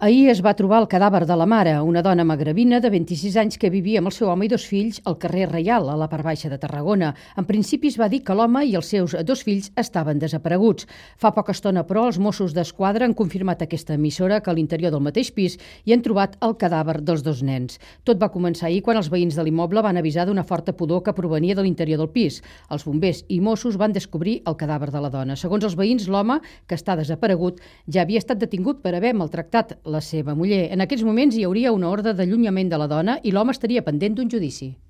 Ahir es va trobar el cadàver de la mare, una dona magrebina de 26 anys que vivia amb el seu home i 2 fills al carrer Reial, a la part baixa de Tarragona. En principi es va dir que l'home i els seus 2 fills estaven desapareguts. Fa poca estona, però, els Mossos d'Esquadra han confirmat a aquesta emissora que a l'interior del mateix pis hi han trobat el cadàver dels 2 nens. Tot va començar ahir quan els veïns de l'immoble van avisar d'una forta pudor que provenia de l'interior del pis. Els bombers i Mossos van descobrir el cadàver de la dona. Segons els veïns, l'home, que està desaparegut, ja havia estat detingut per haver maltractat la seva muller. En aquests moments hi hauria una ordre d'allunyament de la dona i l'home estaria pendent d'un judici.